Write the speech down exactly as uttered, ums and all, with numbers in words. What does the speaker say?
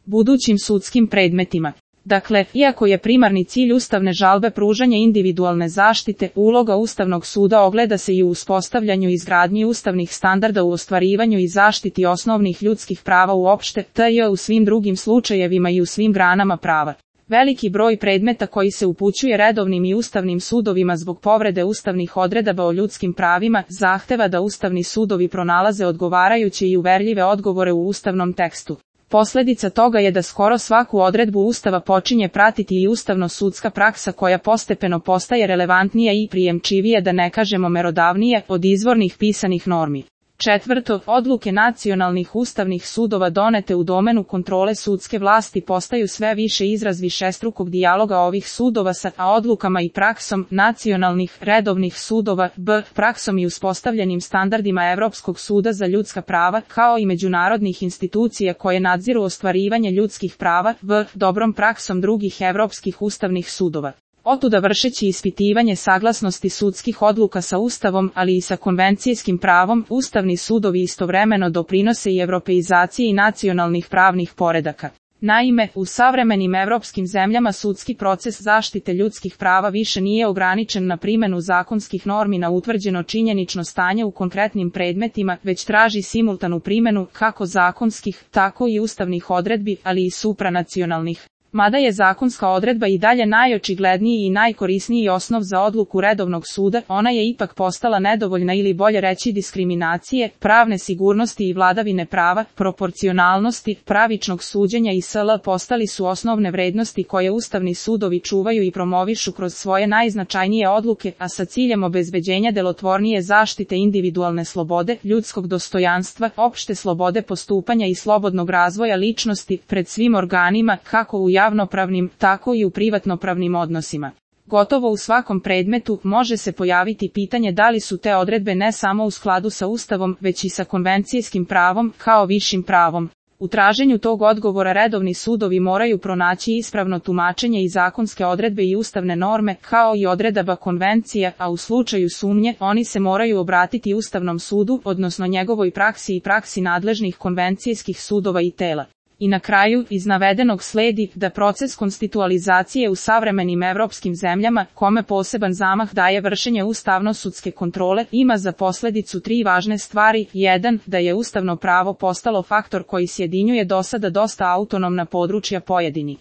budućim sudskim predmetima. Dakle, iako je primarni cilj ustavne žalbe pružanje individualne zaštite, uloga Ustavnog suda ogleda se i u uspostavljanju i izgradnji ustavnih standarda u ostvarivanju i zaštiti osnovnih ljudskih prava uopšte, te u svim drugim slučajevima i u svim granama prava. Veliki broj predmeta koji se upućuje redovnim i ustavnim sudovima zbog povrede ustavnih odredaba o ljudskim pravima zahteva da ustavni sudovi pronalaze odgovarajuće i uverljive odgovore u ustavnom tekstu. Posledica toga je da skoro svaku odredbu Ustava počinje pratiti i ustavno-sudska praksa koja postepeno postaje relevantnija i prijemčivije, da ne kažemo merodavnije, od izvornih pisanih normi. Četvrto, odluke nacionalnih ustavnih sudova donete u domenu kontrole sudske vlasti postaju sve više izraz višestrukog dijaloga ovih sudova sa a odlukama i praksom nacionalnih redovnih sudova, b. praksom i uspostavljenim standardima Evropskog suda za ljudska prava, kao i međunarodnih institucija koje nadziru ostvarivanje ljudskih prava, v. dobrom praksom drugih evropskih ustavnih sudova. Otuda vršeći ispitivanje saglasnosti sudskih odluka sa Ustavom, ali i sa konvencijskim pravom, ustavni sudovi istovremeno doprinose i evropeizaciji nacionalnih pravnih poredaka. Naime, u savremenim evropskim zemljama sudski proces zaštite ljudskih prava više nije ograničen na primjenu zakonskih normi na utvrđeno činjenično stanje u konkretnim predmetima, već traži simultanu primjenu kako zakonskih, tako i ustavnih odredbi, ali i supranacionalnih. Mada je zakonska odredba i dalje najočigledniji i najkorisniji osnov za odluku redovnog suda, ona je ipak postala nedovoljna ili bolje reći diskriminacije, pravne sigurnosti i vladavine prava, proporcionalnosti, pravičnog suđenja i sl. Postali su osnovne vrednosti koje ustavni sudovi čuvaju i promovišu kroz svoje najznačajnije odluke, a sa ciljem obezbeđenja delotvornije zaštite individualne slobode, ljudskog dostojanstva, opšte slobode postupanja i slobodnog razvoja ličnosti pred svim organima, kako u javnopravnim, tako i u privatnopravnim odnosima. Gotovo u svakom predmetu može se pojaviti pitanje da li su te odredbe ne samo u skladu sa Ustavom, već i sa konvencijskim pravom, kao višim pravom. U traženju tog odgovora redovni sudovi moraju pronaći ispravno tumačenje i zakonske odredbe i ustavne norme, kao i odredaba konvencija, a u slučaju sumnje, oni se moraju obratiti Ustavnom sudu, odnosno njegovoj praksi i praksi nadležnih konvencijskih sudova i tela. I na kraju, iz navedenog sledi da proces konstitualizacije u savremenim evropskim zemljama, kome poseban zamah daje vršenje ustavno-sudske kontrole, ima za posledicu tri važne stvari. jedan. Da je ustavno pravo postalo faktor koji sjedinjuje dosada dosta autonomna područja pojedini